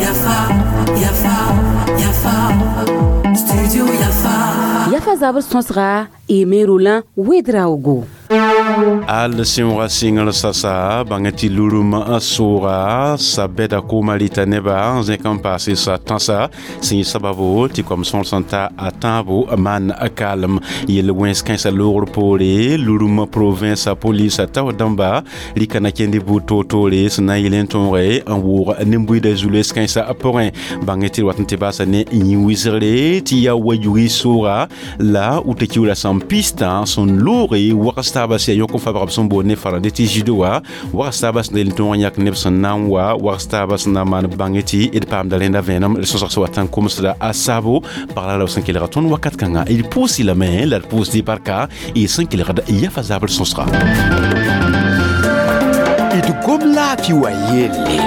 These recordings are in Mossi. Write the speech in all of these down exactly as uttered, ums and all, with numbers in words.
Yafa, Yafa, Yafa, Studio Yafa. Yafa zabr sõsga Aimé Roland Ouédraogo. Al sẽn sɩngr sasa bãng tɩ lurum sʋʋga sabɛda koomã rɩta nebã n zẽk n paase sa tãsa sẽn yɩ sababo tɩ kom sõor sẽn ta a tãabo maan kaalem yel wẽns kãensã loogr poore lurum province polisa tao dãmba rɩka na kẽnd buud toor-toore sẽn na n yel n tõoge n wʋʋg nin-buiidã zu-loees kãensã pʋgẽ bãng tɩ d wat n tɩ baasa ne yĩ wɩsgre tɩ yaa wa yugi sʋʋga la wʋta-kiuurã sẽn pistã sẽn looge wags taabã sẽn yõk n fabg b sẽn boond ne farãndẽ tɩ judo wã wags taabã sẽn yel n tõog n yãk neb sẽn na n wa wags taabã sẽn na n maan bãng tɩ d paamda rẽnda vẽenem d sõsg sẽn wat n komsda a saabo pagla la b sẽn kelga tõnd wakat kãnga d pʋʋs lame la d pʋʋsd barka y sẽn kelgd yafa zabr sõsga d gom laafɩ wa yelle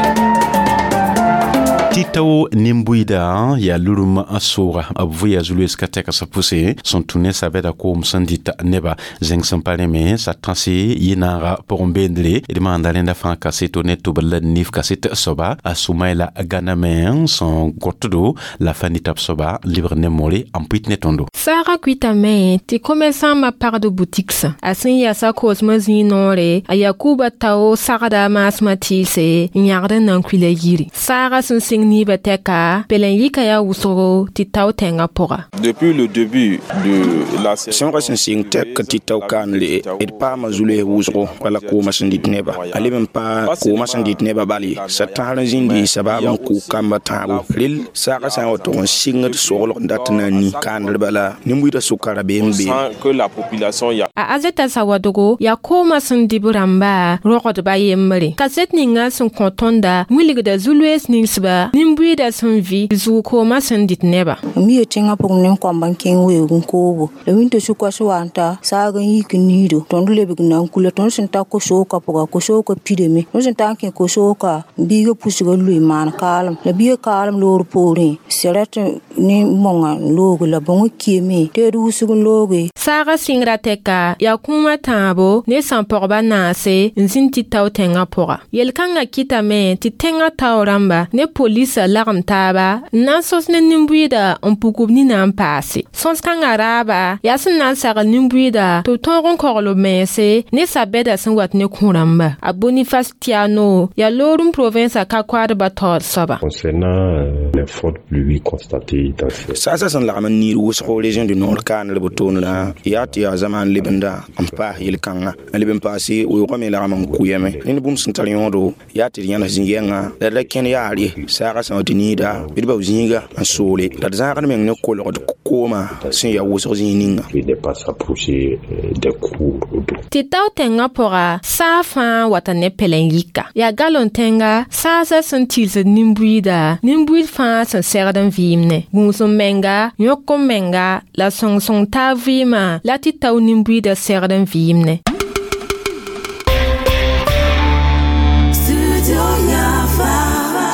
tɩ tao nin-buiida yaa lurum n sʋʋga b vʋya zu-loees ka tɛka sã pʋse sẽn tũ ne sabɛda koom sẽn dɩta neba zẽng sẽn pa rẽ me sa tãse yɩ-naaga pʋgẽ beendre d maanda rẽnda fãa kaseto ne tʋbr la nif kaset soaba a Sʋmaɩla gãname sẽn gõtdo la fa nita b soaba n lebg ne more n pʋɩt ne tõndo. Saaga kuitame tɩ commerçant pagd boutiques a sẽn yasa koosmã zĩig noore a Yakuba tao sagda maasmã tɩɩse n yãgd n na n kuila yiri saaga sẽn sɩng niibã tɛka pelen yika yaa wʋsgo tɩ tao tẽngã pʋga. Depuis le début de la Sõga sẽn sɩng tɛk tɩ tao kaanle d paama zu-loees wʋsgo wala koomã sẽn dɩt nebã a leb n paa koomã sẽn dɩt nebã bal ye sa tãsr n zĩndi sabaab n kʋ kambã tãabo rel saagã sã n wa tʋg n sɩngd soglg n dat n na n ni kaandr bala nin-buiidã sʋka rabeem beem. Sans que la population y a A Azeta Sawadogo yaa koomã sẽn dɩ b rãmba rogdba yembre kaset ninga sẽn kõ tõnda wilgda zu-loees ninsba nin-buiidã sẽn vɩ zug koomã sẽn dɩt nebã. M yee tẽngã pʋgẽ nin-kõmb n kẽng weoog n koobo la wĩnto sʋka sẽn wa n ta saag n yik n niido tõnd lebg n na n kula tõnd sẽn ta kosoogã pʋga kosoogã pidame tõnd sẽn ta n kẽ kosoogã biigã pusga lʋɩ n maan kaalem la biigã kaalem loor poorẽ sɛrɛt ne mõngã n looge la bõngã kiame tɩ d wʋsg n looge. Saaga sɩngrã tɛka yaa kũumã tãabo ne sãn-pɔgba naase n zĩnd tɩ tao tẽngã pʋga yel-kãngã kɩtame tɩ tẽngã tao rãmba ne polisa lagem taaba n na n sõs ne nin-buiida n puk b nina n paase sõs-kãngã raaba yaa sẽn na n sagl nin-buiida tɩ b tõog n kogl b mense ne sabɛda sẽn wat ne kũ-rãmba a Boniface Tiano yaa loorem provinsa ka-koadbã taood soaba. Concernant euh, les fortes pluies constatées dans ces Saasã sẽn lagm n niid wʋsgo région du Nord kaanr b toonrã yaa tɩ yaa zamaan lebenda n paas yel-kãngã n leb n paase weoogã me lagm n kʋyame ned bũmb sẽn tar yõodo yaa tɩ d yãnes zĩ-yɛngã la d ra kẽn yaar ye saagã sã wa tɩ niida bɩ d bao zĩiga n soole la d zãagd meng ne kolgd koomã sẽn yaa wʋsg zĩig ninga de ne pas s'approcher euh, des cours d'eau. Tɩ tao tẽngã pʋga saa fãa wata ne pɛlɛn yika yaa galon tẽnga saasã sẽn tɩlsd nin-buiida nin-buiid fãa sẽn segd n vɩɩmne gũus n menga yõk n menga la sõng-sõng taab vɩɩmã la tɩ tao nin-buiidã segd n vɩɩmne. Studio Yafa.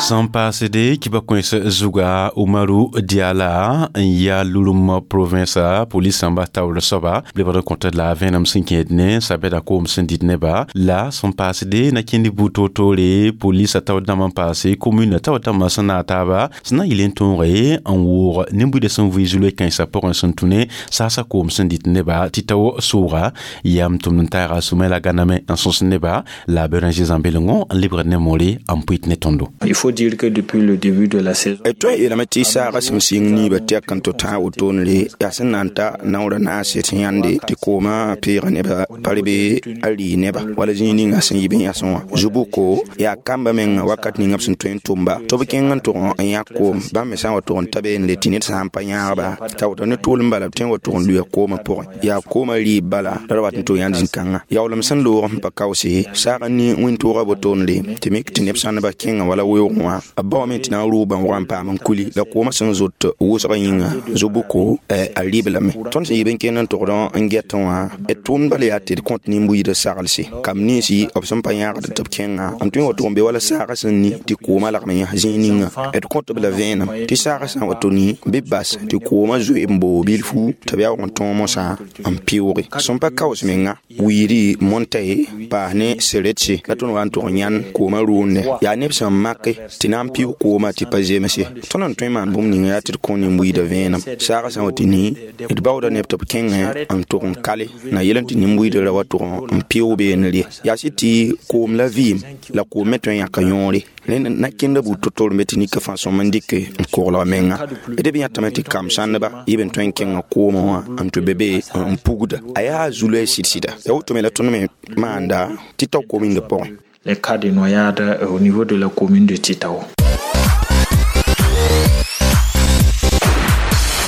Sẽn paasde kiba kões zuga Umaru Diala n yaa lurum province police sãmba taoor soaba lebg n kõt la vẽenem sẽn kẽed ne sabɛda koom sẽn dɩt neba la sẽn paasde na kẽnd buud toor-toore police taoor dãmb n paase commune taoor dãmbã sẽn naag taaba sẽn na n yɩl n tõoge n wʋʋg nin-buiidã sẽn vɩ zu-loe kãensã pʋgẽ sẽn tũ ne saasa koom sẽn dɩt neba tɩ tao sʋʋga yam tʋmd n taaga Sʋmaɩla gãname n sõs neba la a Béranger Zãmb-belengo n lebgd ne moore n pʋɩt ne tõndo. Il faut dire que depuis le début de la saison, d tõe n yeelame tɩ saagã sẽn sɩng niibã tɛk n tɩ tã wotone yaa sẽn na n ta naoorã naase tɩ yãnde tɩ koomã peega nebã pa rebe a rɩ neba wala zĩig ninga sẽn yɩ b yãsẽ wã zu-buko yaa kambã menga wakat ninga b sẽn tõe n tʋmba tɩ b kẽng n tʋg n yãk koom bãmb me sã n wa tʋg n ta be n le tɩ ned sã n pa yãagba t'a woto ne tʋʋlem bala b tõe n wa tʋg n luya koomã pʋgẽ yaa koomã rɩɩb bala la d wat n tʋg yãnd zĩ-kãngã yaoolem sẽn loog n pa kaoose saag n ni wĩntoogã wotone tɩ mik tɩ neb sãndbã kẽngã wala weoogẽ wã. wã b baoome tɩ na n rʋʋ bãn wag n paam n kuli la koomã sẽn zot wʋsgã yĩnga zo-bʋko a rɩb lame tõnd sẽn yɩ n kẽnd n togd n get wã d tʋʋmd bala yaa tɩ d kõt nin-buiidã saglse kam ninsi b sẽn pa yãagd tɩ b kẽnga n tõe n wa tʋg n be wala saagã sẽn ni tɩ koomã lagm n yãs zĩig ninga d kõt b la vẽenem tɩ saagã sã n wa to ni bɩ bas tɩ koomã zoe n boog bilfu tɩ b yaoog n tõog mosã n pɩʋʋge sẽn pa kaoos menga wiiri montaye paas ne seretse la tõnd wa n tʋg n yãnd koomã rʋʋnde yaa neb sẽn make tɩ na n pɩʋʋg koomã tɩ pa zemse tõnd n tõe n maan bũmb ninga yaa tɩ d kõ nin-buiidã vẽenem saagã sã n wa tɩ ni d baooda neb tɩ b kẽngẽ n tʋg n kale na yel n tɩ nin-buiidã ra wa tʋg n pɩʋʋg beene re yaa sɩd tɩ koom la vɩɩm la koom me tõe n yãka yõore rẽnd na kẽnda buud to-to me tɩ nika fãa sõm n dɩk n koglg menga d b yãtame tɩ kam-sãndba yɩ b n tõe n kẽnga koomã wã n tɩ be be n pugda a yaa zu-loɛɛ sɩd-sɩda ya woto me la tõnd me maanda tɩ tao komĩndã pʋgẽ. Les cas de noyade au niveau de la commune de Titao.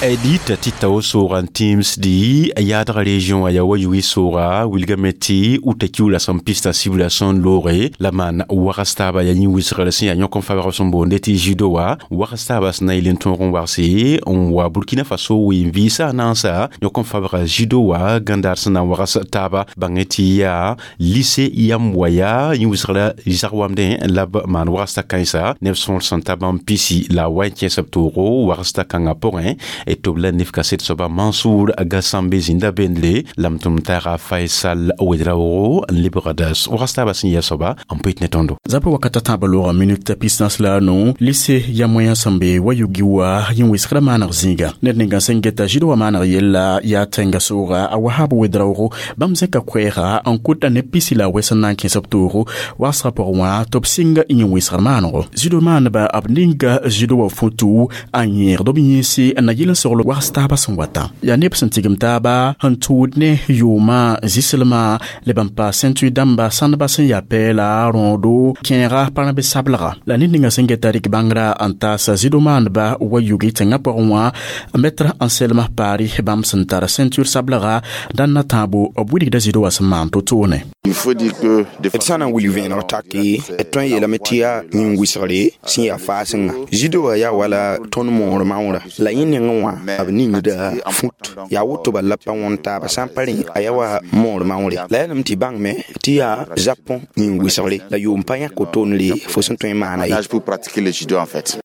Edita tɩ tao soogã n tĩimsdi yaadgã région a yaa wa yʋɩ sooga wilgame tɩ uta kiuula sẽn pista sibra sẽn looge la maan wags taaba yaa yĩ wɩsgr sẽn yaa yõk n fabg sẽn boonde tɩ judo wã wags taaba sẽn na yel n tõog n wagse n wa Burkina Faso ween-vɩɩsã a naansa yõk n fabga judo wã gãndaar sẽn na n wags taaba bãngẽ tɩ yaa lycée yam wa yaa yĩ wɩsgrã zag wamdẽ la b maan wags t'a kãensa neb sõor sẽn ta bãmb pisi la a wa n kẽes b toogo wags t'a kãngã pʋgẽ tɩ b la nef kaset soaba Mansour Gassambe zĩnda bendle la m tʋm taaga Faisal Ouedraogo n lebgda wags taabã sẽn yɛ soaba n pʋɩt ne tõndo. Zapa wakata tãabã loogã minute pisnãs la a nu lycée ya moyen sẽn be wa yugi wa yẽ wɩsgrã maaneg zĩiga ned ninga sẽn geta zɩd wa maaneg yella yaa tẽnga sooga a Wahab Ouedraogo bãmb zẽka koɛɛga n kʋta ne pisi la a wɛs n na n kẽes b toogo wagsgã pʋgẽ wã tɩ b sɩnga yẽ wɩsgr maanego zĩdo maaneba b ninga zĩdo wa foto n yẽegd b yẽese n na yɩl n sogl wags taabã sẽn wata yaa neb sẽn tigim taaba sẽn tʋʋd ne yʋʋmã zɩslmã leb n paas ceinture dãmba sãndbã sẽn yaa pɛɛla rõodo kẽega parãbe sablega la ned ninga sẽn geta rɩk bãngrã n taasa zĩdo maandba wa yugi tẽngã pʋgẽ wã maître Anselme Paari bãmb sẽn tar ceinture sablega dãn na tãabo b wilgda zĩdo wã sẽn maan to-toone. D sã na n wilg vẽeneg take d tõe n yeelame tɩ yaa yĩn-wɩsgre sẽn yaa faasengã zĩdo wã yaa wala tõnd moor maoorã la yẽ nengẽ wã b ningda fut yaa woto bala la pa wõn taaba sã n pa rẽ a yaa wa moor maoore la yaa lame tɩ bãngme tɩ yaa Japon yĩn-wɩsgre la yʋʋm pa yãk wotone fo sẽn tõe n maana ye.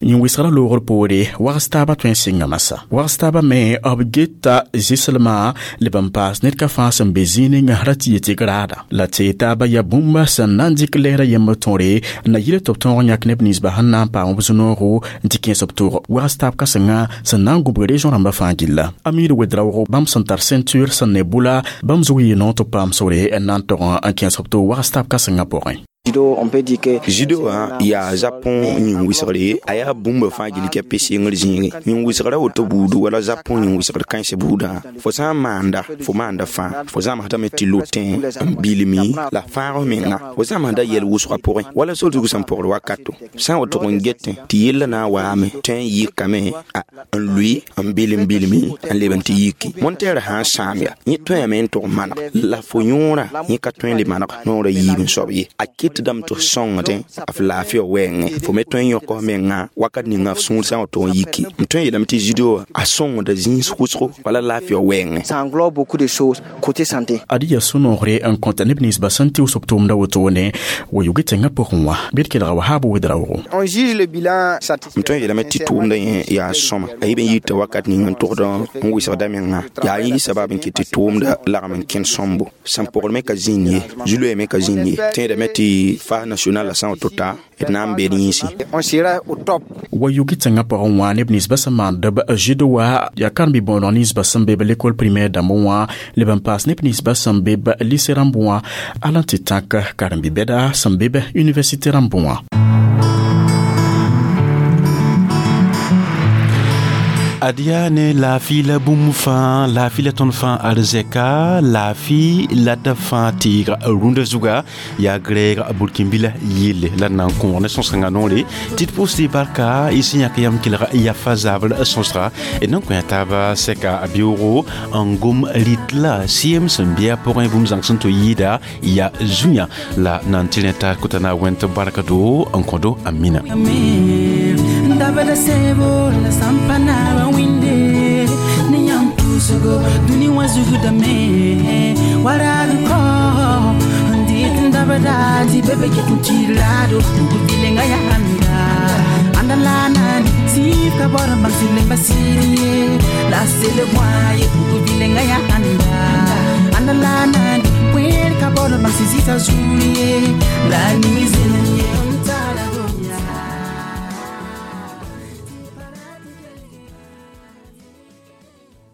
Yĩn-wɩsgrã loogr poore wags taabã tõe n sɩnga masã wags taabã me b geta zɩslmã leb n paas ned ka fãa sẽn be zĩig ninga ra tɩ yetɩ graada la tɩ taaba yaa bũmba sẽn na n dɩk lɛɛrã yemb tõre n na yɩl tɩ b tõog n yãk neb ninsba sẽn na n paam b zũ-noogo n tɩ kẽes b toogo wags taab kãsenga sẽn na n gũbg région rãmbã fãa gilla Amir Ouedraogo bãmb sẽn tar ceinture sẽn ne bʋla bãmb zug yɩ noor tɩ b paam sore n na n tog n kẽes b toog wags taab kãsengã pʋgẽ. Judo wã yaa Japon yĩn-wɩsgre a yaa bũmba fãa gill kɛ pe-sengr zĩigẽ yĩn-wɩsgrã woto buudu wala Japon yĩn-wɩsgr kãens buudã fo sã n maanda fo maanda fãa fo zãmsdame tɩ lotẽ n bilmi la fãag menga fo zãmsda yɛl wʋsgã pʋgẽ wala sor zug sẽn pʋgd wakato sã n wa tʋg n getẽ tɩ yellã na n waame tõe n yɩkame n lʋɩ n bilm bilmi n leb n tɩ yiki montɛɛrã sã n sãam ya yẽ tõeame n tʋg maneg la fo yõorã yẽ ka tõe n le maneg noorã yiib n soab ye a ket dãmb tɩ sõngdẽ f laafɩa wɛɛngẽ fo me tõe n yõk f menga wakat ninga f sũur sã n wa tʋg n yiki m tõe n yeelame tɩ judo wã a sõngda zĩis wʋsgo wala laafɩa wɛɛngẽ. Ad yaa sũ-noogre n kõta neb ninsba sẽn tɩʋs b tʋʋmda wotone wa yugi tẽngã pʋgẽ wã bɩ d kelga Wahab Ouedraogo. M tõe n yeelame tɩ tʋʋmdã yẽ yaa sõma a yɩ b n yita wakat ning n tʋgd n wɩsgda menga yaa yẽ sabab n kɩt tɩ tʋʋmda lagm n kẽnd sõmbo sẽn pʋgd me ka zĩnd ye zu-loɛɛ me ka zĩnd ye tẽedame tɩ fa national la sã n wa to ta d na n beed yĩnsẽ. Wa yugi tẽngã pʋgẽ wã neb ninsbã sẽn maand b judo wã yaa karen-bi-bõoneg ninsba sẽn be b l'école primaire dãmb wã leb n paas neb ninsba sẽn be b lycée rãmb wã ala n tɩ tãk karen-bi-bɛda sẽn be b université rãmb wã. Ad yaa ne laafɩ la bũmb fãa, laafɩ la tõnd fãa arzɛka, laafɩ la d fãa tɩɩga rũndã zuga. Yaa grɛɛg burkĩnbila yelle la d na n kõog ne sõs-kãngã noore tɩ d pʋʋsdɩ barka y sẽn yãk yam kelg yafa zabr sõsga d na n kõ taaba sɛka a beoogo n gom rɩt la sɩem sẽn bɩ a pʋgẽ bũmb zãng sẽn tɩ yɩɩda yaa zu-yã la na n tɩ rẽ tar kota na wẽnt bark do n kõdo. Amina. Dabada sebo la sampana ba winde ni yam pusugo duni wa zugu da me wara ko ndit dabada di bebe ke tuntilado bilenga ya handa andalana si ka bora basile basiri la sele waye bilenga ya handa andalana kwer ka bora basizita zuriye la ni.